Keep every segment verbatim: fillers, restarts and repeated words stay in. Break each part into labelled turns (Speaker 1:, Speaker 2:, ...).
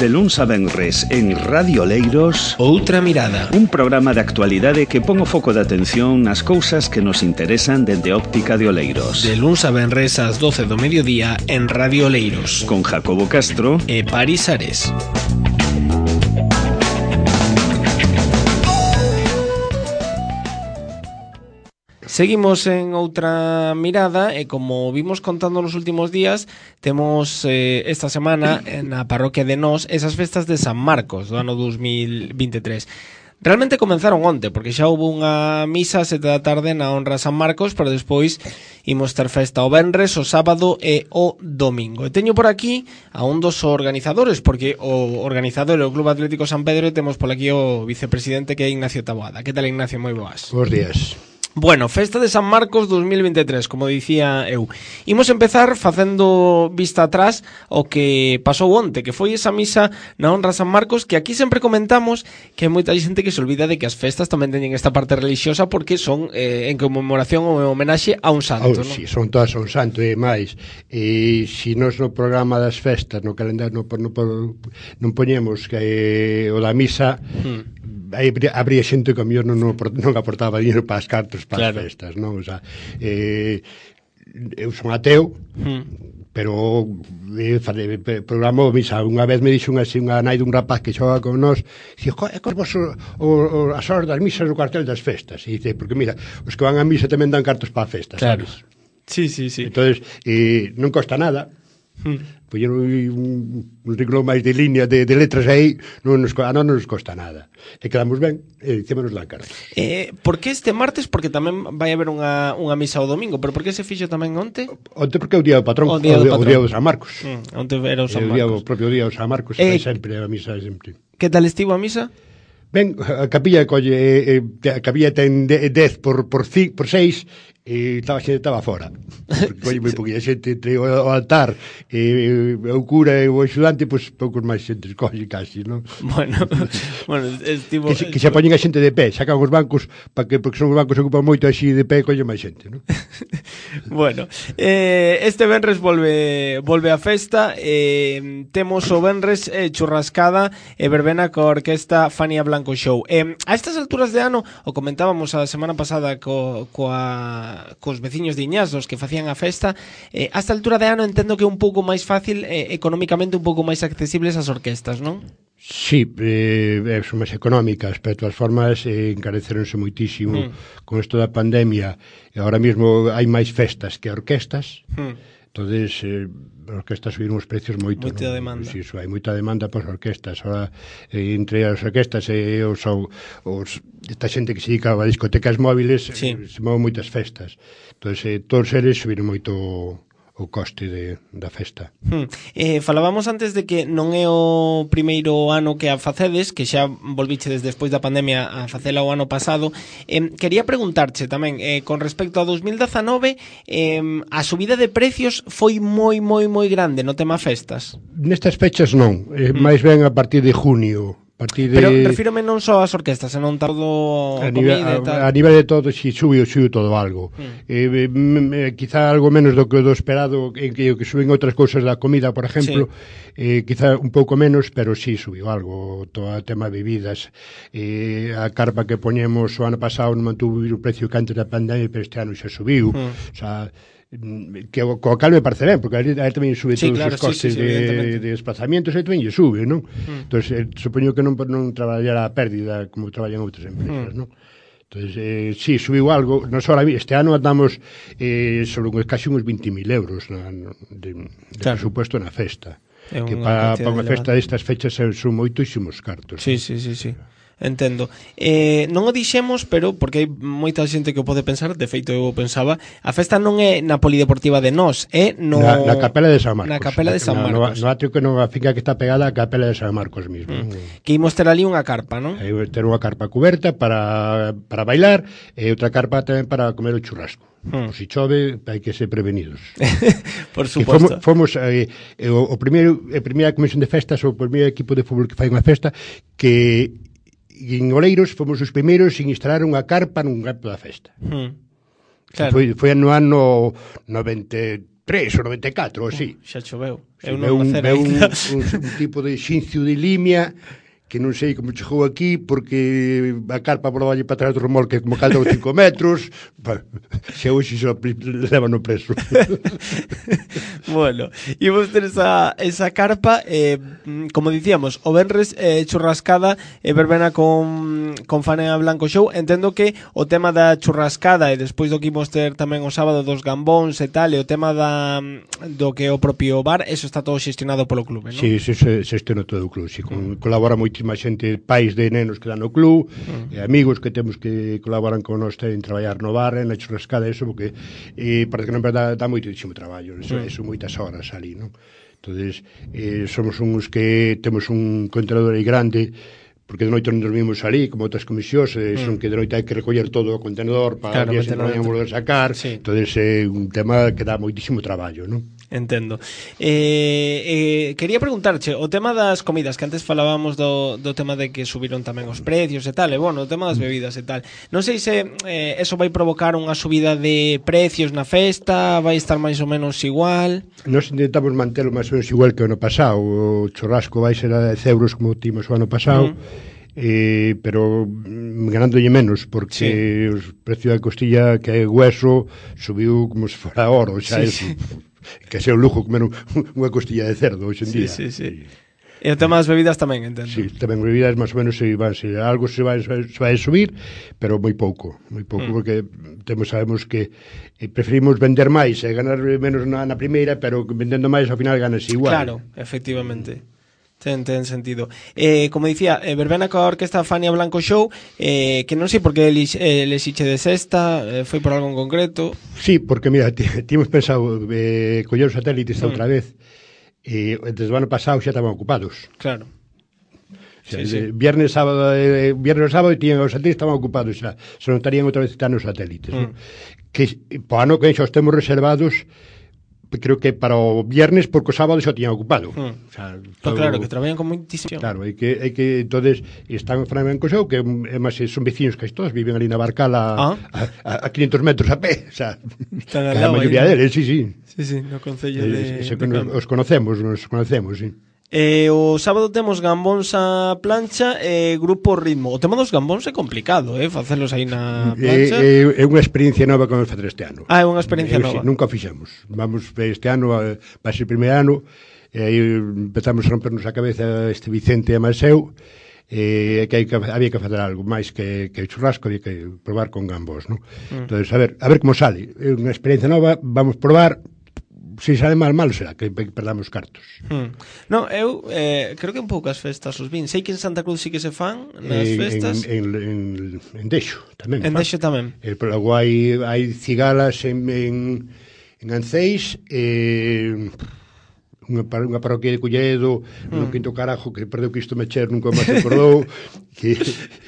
Speaker 1: De luns a venres en Radio Oleiros,
Speaker 2: Outra Mirada,
Speaker 1: un programa de actualidade que pon o foco de atención nas cousas que nos interesan dende a óptica de Oleiros.
Speaker 2: De luns a venres ás doce do mediodía en Radio Oleiros,
Speaker 1: Con Jacobo Castro
Speaker 2: e Paris Ares. Seguimos en Outra Mirada e como vimos contando nos últimos días, temos eh, esta semana na parroquia de Nós esas festas de San Marcos do ano dos mil vinte e tres. Realmente comenzaron onte, porque xa houve unha misa a sete da tarde na honra a San Marcos, pero despois imos ter festa o venres, o sábado e o domingo. E teño por aquí a un dos organizadores, porque o organizador é o Club Atlético San Pedro e temos por aquí o vicepresidente que é Ignacio Taboada. Que tal, Ignacio? Moi boas.
Speaker 3: Bos días.
Speaker 2: Bueno, festa de San Marcos dos mil vinte e tres, como dicía eu. Imos empezar facendo vista atrás o que pasou onte, que foi esa misa na honra a San Marcos, que aquí sempre comentamos que hai moita xente que se olvida de que as festas tamén teñen esta parte religiosa porque son eh, en conmemoración ou en homenaxe a un santo,
Speaker 3: oh,
Speaker 2: non?
Speaker 3: Si, son todas a un santo e máis. E se nos no programa das festas, no calendario, non no, no, non poñemos que eh, o da misa... Hmm. Aí habría xente que a mellor non, non aportaba dinero para as cartas, para claro. As festas, non? O sea, eh, eu son ateo, mm. pero eh, programo misa. Unha vez me dixo unha, unha nai dun rapaz que xoga con nós, dixo, é cos vos o, o, as horas das misas no cartel das festas. E dice, porque mira, os que van a misa tamén dan cartos para a festa,
Speaker 2: claro.
Speaker 3: Sabes?
Speaker 2: Sí, sí, sí.
Speaker 3: Entonces, eh, non costa nada. Hmm. Poñer un, un renglón máis de línea de, de letras aí non nos, a non nos costa nada e quedamos ben e dicémonos la cara.
Speaker 2: Eh, por que este martes? Porque tamén vai haber unha, unha misa o domingo, pero por que se fixo tamén onte?
Speaker 3: Onte porque é o día do patrón,
Speaker 2: o día do, patrón.
Speaker 3: O día do San Marcos.
Speaker 2: Mm, onte era o San
Speaker 3: Marcos. O, día, o propio día do San Marcos eh, sempre a misa sempre.
Speaker 2: Que tal estivo a misa?
Speaker 3: Ben, a capilla colle eh, a capilla ten dez por por seis e estaba xente estaba fora. Porque colle moi poquilla xente entre o altar e o cura e o axudante, pois pues, poucos máis xente colle casi, non?
Speaker 2: Bueno, bueno, estivo
Speaker 3: que, se, que se poñen a xente de pé, sacan os bancos para que porque son os bancos que ocupan moito así de pé colle máis xente, non?
Speaker 2: Bueno, eh, este venres volve volve a festa, eh, temos o venres eh, churrascada e verbena coa orquesta Fania Blanco Show. Eh, a estas alturas de ano, o comentábamos a semana pasada co, coa cos veciños de Iñazos que facían a festa, eh, a esta altura de ano entendo que é un pouco máis fácil, eh, económicamente un pouco máis accesibles as orquestas, non?
Speaker 3: Sí, eh, son máis económicas, pero de todas formas eh, encareceronse moitísimo mm. con isto da pandemia e agora mesmo hai máis festas que orquestas. Mm. Entonces, eh, as orquestas subiron os precios moito.
Speaker 2: Moita
Speaker 3: ¿no?
Speaker 2: demanda.
Speaker 3: Sí, so, hai moita demanda para as orquestas. Ahora, eh, entre as orquestas e os, os, esta xente que se dedica a discotecas móviles, sí. eh, se moven moitas festas. Entón, eh, todos eles subiron moito o coste de, da festa.
Speaker 2: Hmm. Eh, falábamos antes de que non é o primeiro ano que a facedes, que xa volvichedes despois da pandemia a facela o ano pasado. Eh, quería preguntarche tamén, eh, con respecto a dos mil dezanove, eh, a subida de precios foi moi, moi, moi grande no tema festas?
Speaker 3: Nestas fechas non, eh, hmm. máis ben a partir de junio. De...
Speaker 2: Pero refírome non só ás orquestas, senón todo
Speaker 3: a nivel,
Speaker 2: comida e tal.
Speaker 3: A, a nivel de todo, si subiu, subiu todo algo. Mm. Eh, eh, quizá algo menos do que do esperado, en que, que suben outras cousas da comida, por exemplo, sí. eh, quizá un pouco menos, pero sí subiu algo. Todo o tema de bebidas. Eh, a carpa que poñemos o ano pasado non mantuvo o precio que antes da pandemia, pero este ano xa subiu. Mm. O sea, que o, co cal me parece ben, porque a él tamén sube sí, todos claro, os costes sí, sí, de, de desplazamientos e tamén lle sube, non? Mm. Entón, eh, supoño que non, non traballará a pérdida como traballan outras empresas, mm. non? Entón, eh, sí, subiu algo. Nos ahora, este ano andamos eh, sobre casi uns vinte mil euros na, de, de claro. presupuesto na festa. É que para pa unha festa destas fechas son moitísimos cartos.
Speaker 2: Sí, sí, sí, sí. Entendo. Eh, non o dixemos, pero porque hai moita xente que o pode pensar, de feito eu o pensaba, a festa non é na Polideportiva de Nós, é no
Speaker 3: na, na Capela de San Marcos.
Speaker 2: Na Capela de San Marcos.
Speaker 3: No, no, no atrio que non a finca que está pegada á Capela de San Marcos mismo. Mm.
Speaker 2: Que imos ter ali unha carpa, non?
Speaker 3: Hai ter unha carpa cuberta para para bailar e outra carpa tamén para comer o churrasco. Hmm. Por si chove, hai que ser prevenidos.
Speaker 2: Por suposto.
Speaker 3: Fomos, fomos eh, o, o primeiro, a primeira comisión de festas, o primeiro equipo de fútbol que fai unha festa, que en Oleiros fomos os primeiros en instalar unha carpa nun campo da festa. Hmm. Claro. Foi, foi no ano noventa e tres ou noventa e catro, ou así.
Speaker 2: Xa choveu.
Speaker 3: Sí, eu non nacera un, un, un, un tipo de xincio de limia que non sei como chegou aquí porque a carpa volalle para atrás do remolque como calda os cinco metros. Se hoxe xo levan no preso.
Speaker 2: Bueno, imos ter esa, esa carpa, eh, como dicíamos, o venres eh, churrascada e eh, verbena con, con Fanea Blanco Show. Entendo que o tema da churrascada e despois do que imos ter tamén o sábado dos gambóns e tal, e o tema da, do que é o propio bar, eso está todo xestionado polo clube, non?
Speaker 3: Si, sí, se, se xestiona todo o clube, si, con, colabora moitísima xente, pais de nenos que dan no club, mm. e amigos que temos que colaboran con nós en traballar no bar, en a churrascada, eso, porque eh, parece que non dá, dá moitísimo traballo, eso, mm. eso moitas horas ali, non? Entonces, eh, somos uns que temos un contenedor aí grande, porque de noite non dormimos ali, como outras comisións, eh, son mm. que de noite hai que recoller todo o contenedor para claro, que se non volver a sacar, sí. Entonces é eh, un tema que dá moitísimo traballo, non?
Speaker 2: Entendo. Eh, eh, quería preguntarche, o tema das comidas, que antes falábamos do, do tema de que subiron tamén os precios e tal, e bueno, o tema das bebidas e tal. Non sei se eh, eso vai provocar unha subida de precios na festa, vai estar máis ou menos igual?
Speaker 3: Nos intentamos mantelo máis ou menos igual que o ano pasado. O churrasco vai ser a dez euros como timos o ano pasado. Mm. Eh, pero ganándolle menos porque sí. Os precios da costilla que é hueso subiu como se fora oro, xa sí, é sí. Que sea un lujo comer un, unha costilla de cerdo hoxe en
Speaker 2: sí,
Speaker 3: día.
Speaker 2: Sí, sí. E o tema das bebidas tamén, entendo.
Speaker 3: Sí, tamén bebidas máis ou menos se van, se algo se vai, se vai subir, pero moi pouco, moi pouco, mm. porque temos sabemos que eh, preferimos vender máis e ganar menos na, na primeira, pero vendendo máis ao final ganas igual.
Speaker 2: Claro, efectivamente. Ten, ten sentido. Eh, como dicía, eh, verbena coa orquesta Fania Blanco Show, eh, que non sei por que eles eh, exiche de sexta, eh, foi por algo en concreto?
Speaker 3: Sí, porque mira, tínhamos pensado eh, coller os satélites mm. outra vez, e eh, desde o ano pasado xa estaban ocupados.
Speaker 2: Claro.
Speaker 3: O sea, sí, sí. Viernes, sábado, eh, viernes, sábado, tiñan os satélites estaban ocupados xa, se non estarían outra vez citando os satélites. Mm. ¿No? Que po ano que xa os temos reservados, creo que para o viernes porque o sábado xa tiñan ocupado.
Speaker 2: Hmm. O sea, todo... Claro, que traballan con moitísimo.
Speaker 3: Claro, é que, é que entonces están en Flamenco Show, que é máis son veciños que todos, viven ali na Barcala ah. a, a, a quinientos metros a pé, o sea,
Speaker 2: están
Speaker 3: a maioría deles, sí, sí.
Speaker 2: Sí, sí, no concello de...
Speaker 3: Eh, de nos, os conocemos, nos conocemos, sí.
Speaker 2: Eh, o sábado temos gambóns a plancha e eh, grupo ritmo. O tema dos gambóns é complicado, eh, facelos aí na plancha.
Speaker 3: É, é, é unha experiencia nova que vamos facer este ano.
Speaker 2: Ah, é unha experiencia
Speaker 3: eh,
Speaker 2: nova.
Speaker 3: Sí, nunca fixemos. Vamos este ano, vai ser o primeiro ano, e aí empezamos a rompernos a cabeza este Vicente e Maseu, e que, hai que había que facer algo máis que, que churrasco, había que probar con gambós, ¿no? Mm. Entonces, a ver, a ver como sale. É unha experiencia nova, vamos probar. Se sale mal, mal será que perdamos cartos.
Speaker 2: Hmm. Non, eu eh, creo que en poucas festas os vin. Sei que en Santa Cruz sí que se fan nas
Speaker 3: en,
Speaker 2: festas.
Speaker 3: En, en, en, en Dexo tamén.
Speaker 2: En Dexo tamén.
Speaker 3: Eh, pero logo hai, hai cigalas en, en, en Anceis, eh, unha, unha parroquia de Culleredo, mm. no Quinto Carajo, que perdeu que isto me cher, nunca máis acordou, que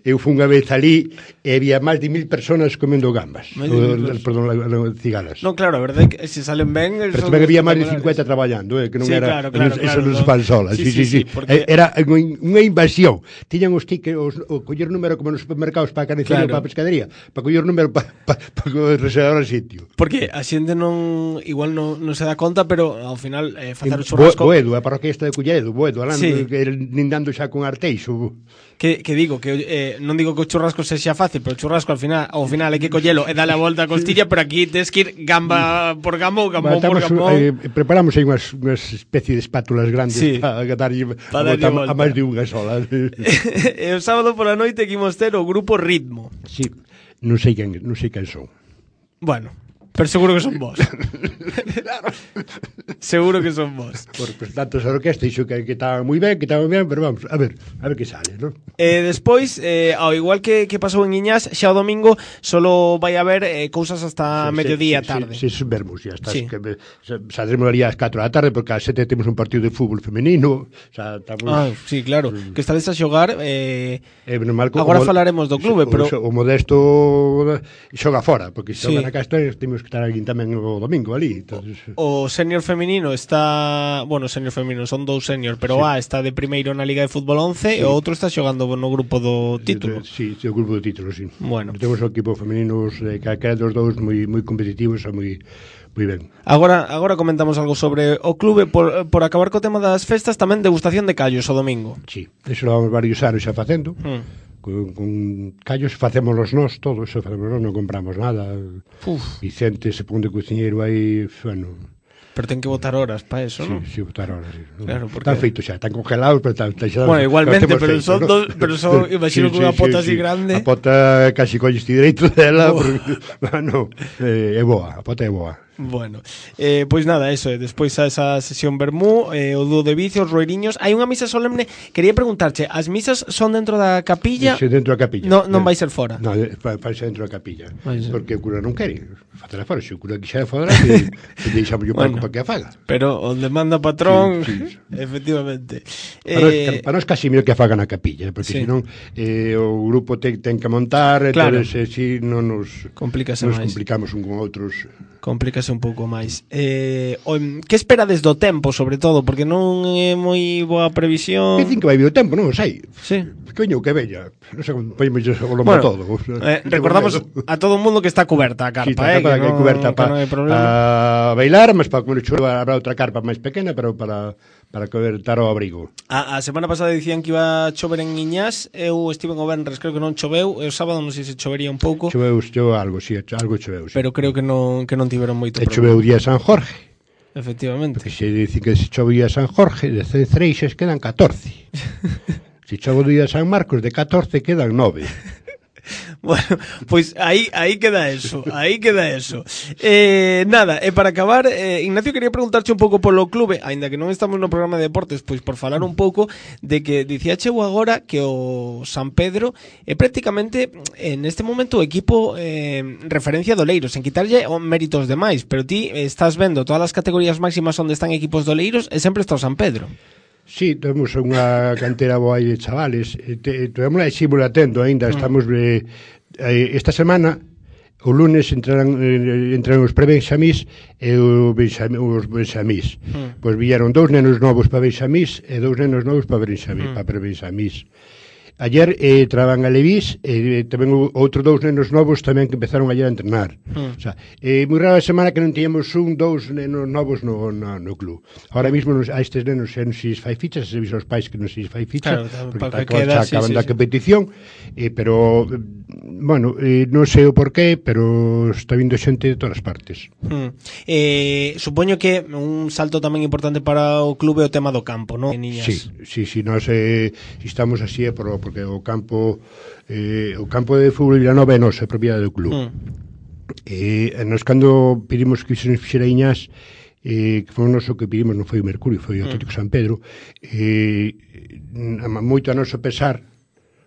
Speaker 3: eu fui unha vez ali e había máis de mil personas comendo gambas, o, perdón, cigalas.
Speaker 2: Non, claro, a verdade é que se salen ben...
Speaker 3: Pero tamén había máis de cincuenta traballando, eh, que non
Speaker 2: sí,
Speaker 3: era,
Speaker 2: claro, claro,
Speaker 3: eso
Speaker 2: claro,
Speaker 3: non se fan solas, sí, sí, sí, sí, porque... era unha invasión. Tiñan os tickets, os, o coller número como nos supermercados para a carnicería, claro, para a pescadería, para coller número para pa, pa, pa reservar o sitio.
Speaker 2: Porque a xente non igual non, non se dá conta, pero ao final eh, facer o churrasco...
Speaker 3: Boedo, a parroquia esta de Culleredo, Boedo, alando, sí, nindando xa con Arteixo.
Speaker 2: Que, que digo, que eh, non digo que o churrasco sexa fácil, pero o churrasco ao final, ao final hai que collelo e darle a volta a costilla, pero aquí tens que ir gamba por gamba ou gambón por gambón.
Speaker 3: Eh, preparamos aí unhas, unhas especie de espátulas grandes, sí, para darlle a, a, a máis de unha sola.
Speaker 2: E o sábado pola noite que imos ter o grupo Ritmo.
Speaker 3: Sí, non sei quen, non sei quen son.
Speaker 2: Bueno, pero seguro que son vos. Claro. Seguro que son vos.
Speaker 3: Por pues, tantos orquestas, dixo que, que estaban moi ben, que estaban ben, pero vamos, a ver, a ver que sale, non?
Speaker 2: Eh, despois, eh, ao igual que, que pasou en Iñás, xa o domingo solo vai haber eh, cousas hasta sí, mediodía
Speaker 3: sí,
Speaker 2: tarde.
Speaker 3: Sí, sí, vermos, xa está. Sí. Que, saldremos ali ás catro da tarde, porque ás sete temos un partido de fútbol femenino. Xa, estamos...
Speaker 2: Ah, sí, claro, mm. que estades a xogar. Eh,
Speaker 3: eh, normal,
Speaker 2: agora falaremos do clube,
Speaker 3: o,
Speaker 2: pero...
Speaker 3: O, o Modesto xoga fora, porque se xoga sí. na Castor, temos que estar aquí tamén o domingo ali. Entonces...
Speaker 2: O, o senior femenino feminino está, bueno, senior feminino son dous senior, pero
Speaker 3: sí.
Speaker 2: A está de primeiro na Liga de Fútbol once sí. E o outro está xogando no grupo do título.
Speaker 3: Sí, sí, o grupo do título, sí.
Speaker 2: Bueno.
Speaker 3: Temos o equipo femininos, eh, calquera dos dous moi moi competitivos e moi moi ben.
Speaker 2: Agora agora comentamos algo sobre o clube por, por acabar co tema das festas, tamén degustación de callos o domingo.
Speaker 3: Sí, eso lo vamos varios anos xa facendo. Mm. Con, con callos facémolos nós todos, eso facemos nós, non compramos nada. Uf. Vicente se pon de cociñeiro aí, bueno.
Speaker 2: Pero ten que botar horas para eso,
Speaker 3: sí,
Speaker 2: non?
Speaker 3: Sí, botar horas, sí.
Speaker 2: Claro, porque...
Speaker 3: Están feitos xa, están congelados, pero están, están xa...
Speaker 2: Bueno, igualmente, pero
Speaker 3: feitos,
Speaker 2: son
Speaker 3: ¿no?
Speaker 2: dos, pero son, imagino sí, que unha sí, pota
Speaker 3: sí,
Speaker 2: así
Speaker 3: sí.
Speaker 2: grande.
Speaker 3: A pota casi colles ti dereito dela, porque, bueno, eh, é boa, a pota é boa.
Speaker 2: Bueno, eh, pois nada, eso, eh, despois a esa sesión vermú, eh, o dúo de vicios, roiriños. Hai unha misa solemne, quería preguntarche, as misas son dentro da capilla?
Speaker 3: Sí, dentro da capilla.
Speaker 2: No, non vai ser fora?
Speaker 3: Non, vai ser dentro da capilla, porque o cura non quere facela fora, se o cura quixera fora, que, que deixamos o palco bueno, para que a faga.
Speaker 2: Pero onde manda patrón, sí, sí. Efectivamente.
Speaker 3: Para, eh, nos, para nos casi mellor que a faga na capilla, porque sí. senón eh, o grupo ten, ten que montar, claro. Entonces, eh, si non nos, nos complicamos un con outros.
Speaker 2: Complícase un pouco máis. Eh, o, que esperades do tempo, sobre todo? Porque non é moi boa previsión.
Speaker 3: Dicen que vai vir o tempo, non o sei.
Speaker 2: Sí.
Speaker 3: Que veño que veña. Non sei como poñemos o lombo
Speaker 2: bueno,
Speaker 3: todo.
Speaker 2: Eh, recordamos a todo o mundo que está cuberta a carpa, sí, eh, que,
Speaker 3: que
Speaker 2: non,
Speaker 3: cuberta
Speaker 2: pa,
Speaker 3: para
Speaker 2: no
Speaker 3: pa bailar, mas para comer chulo habrá outra carpa máis pequena, pero para para cobertar o abrigo.
Speaker 2: A, a semana pasada dicían que iba a chover en Iñás, eu estive en o Benres, creo que non choveu, e o sábado non sei se chovería un pouco.
Speaker 3: Choveu, choveu algo, si, sí, algo choveu, sí.
Speaker 2: Pero creo que non que non tiveron moito
Speaker 3: problema. E choveu o día de San Jorge.
Speaker 2: Efectivamente.
Speaker 3: Porque se dicen que se chove o día de San Jorge, de cen Freixes quedan catorce. Se chove o día de San Marcos, de catorce quedan nove.
Speaker 2: Bueno, pois aí aí queda eso, aí queda eso. Eh, nada, e para acabar, eh, Ignacio, quería preguntarche un pouco polo clube, aínda que non estamos no programa de deportes, pois por falar un pouco de que dicíache agora que o San Pedro é prácticamente en este momento o equipo eh, referencia do Oleiros, en quitarlle méritos demais, pero ti estás vendo todas as categorías máximas onde están equipos do Oleiros e sempre está o San Pedro.
Speaker 3: Sí, temos unha cantera boa aí de chavales. Temos aí símbolo atento aínda. Estamos eh, esta semana, o lunes entrarán, eh, entrarán os prebenxamís e o benxamí, os benxamís. Mm. Pois vieron dous nenos novos para benxamís e dous nenos novos para benxamís, mm. para prebenxamís. Ayer eh, traban a Levís e eh, tamén outros dous nenos novos tamén que empezaron ayer a entrenar. Mm. O sea, é eh, moi rara a semana que non tiñamos un, dous nenos novos no, no, no club. Ahora mismo nos, a estes nenos xa non se fai fichas, se viso aos pais que non se fai ficha, claro, porque que queda, xa acaban sí, da sí, competición, eh, pero, bueno, eh, non sei o porqué, pero está vindo xente de todas as partes.
Speaker 2: Mm. Eh, supoño que un salto tamén importante para o club é o tema do campo, non?
Speaker 3: Sí, sí, sí, nós eh, estamos así é por porque o campo eh, o campo de fútbol Vilanova é noso, é propiedade do club. Mm. E eh, nos cando pedimos que se nos fixera Iñás, eh, que foi o noso que pedimos, non foi o Mercurio, foi o Atlético mm. San Pedro, eh, moito a noso pesar,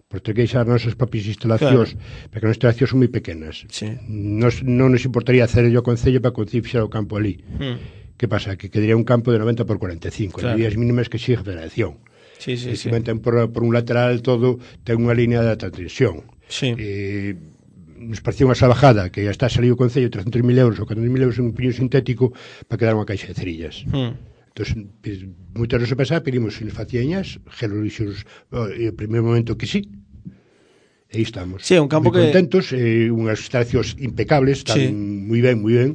Speaker 3: por ter que deixar as nosas propias instalacións, claro. Porque as instalacións son moi pequenas. Sí. Nos, non nos importaría hacer yo concello para que o Concello fixera o campo ali. Mm. Que pasa? Que quedaría un campo de noventa por cuarenta e cinco, claro. As días mínimas que sigue a federación.
Speaker 2: Sí, sí, sí.
Speaker 3: Ten por, por un lateral todo, ten unha línea de alta tensión.
Speaker 2: Sí.
Speaker 3: Eh, nos parecía unha salvajada que está salido o Concello trescentos mil euros ou catorce mil euros en un piño sintético para quedar unha caixa de cerillas. Mm. Entón, pues, moitas veces pasar pedimos se nos facíañas, gelo lixos, e o primeiro momento que sí. E aí estamos.
Speaker 2: Sí, un campo
Speaker 3: moi
Speaker 2: que...
Speaker 3: contentos, eh, unhas instalacións impecables, están sí. moi ben, moi ben.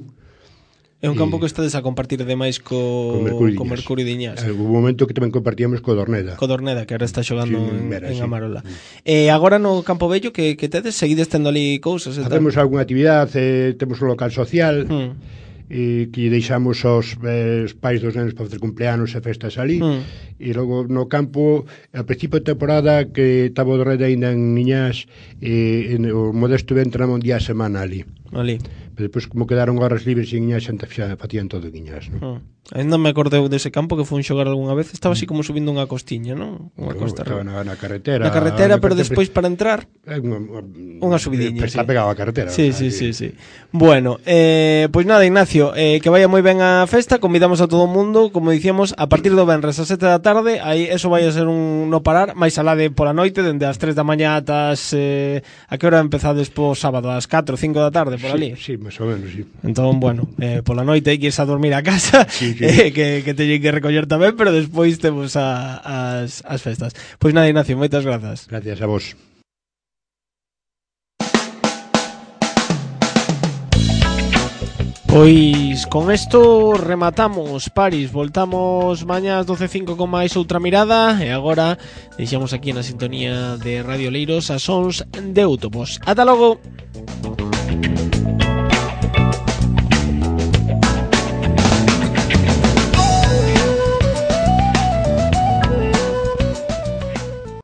Speaker 2: É un campo que estades a compartir demais co, co Mercurio de Iñás.
Speaker 3: Houve un momento que tamén compartíamos co Dorneda.
Speaker 2: Co Dorneda, que agora está xogando sí, en, Vera, en sí. Amarola. Mm. Eh, agora no Campo Bello, que, que tedes? Seguides tendo ali cousas?
Speaker 3: Hacemos algunha actividade, eh, temos un local social, mm. eh, que deixamos aos eh, pais dos nenos para facer cumpleanos e festas ali, mm. e logo no campo, ao principio de temporada, que estaba o Dorneda ainda en Iñás, eh, en, o Modesto entra un día a semana ali.
Speaker 2: Ali.
Speaker 3: Pero depois, como quedaron horas libres en Iñás, xa facían todo en Iñás, non?
Speaker 2: Ah. Ainda me acordeu dese campo que fun xogar algunha vez, estaba así como subindo unha costiña, non? Unha
Speaker 3: claro,
Speaker 2: costa
Speaker 3: estaba na, na carretera.
Speaker 2: Na carretera,
Speaker 3: na
Speaker 2: pero
Speaker 3: carretera,
Speaker 2: despois para entrar
Speaker 3: unha,
Speaker 2: unha subidiña,
Speaker 3: sí. Está pegado a carretera.
Speaker 2: Sí, sí, sí, sí. Bueno, eh, pois pues nada, Ignacio, eh, que vaya moi ben a festa, convidamos a todo o mundo, como dicíamos, a partir do venres a sete da tarde, aí eso vai a ser un no parar, máis alá de pola noite, dende as tres da mañá ata as eh, a que hora empezades po sábado, ás catro, cinco da tarde, por ali?
Speaker 3: Sí, sí, máis ou menos, sí.
Speaker 2: Entón, bueno, eh, pola noite hai que irse a dormir a casa, sí, sí. Eh, que, que teñen que recoller tamén, pero despois temos a, as, as festas. Pois nada, Ignacio, moitas grazas.
Speaker 3: Gracias a vos.
Speaker 2: Pois con isto rematamos Paris, voltamos mañá ás doce e cinco con máis outra mirada e agora deixamos aquí na sintonía de Radio Leiros as sons de Autobos. Ata logo!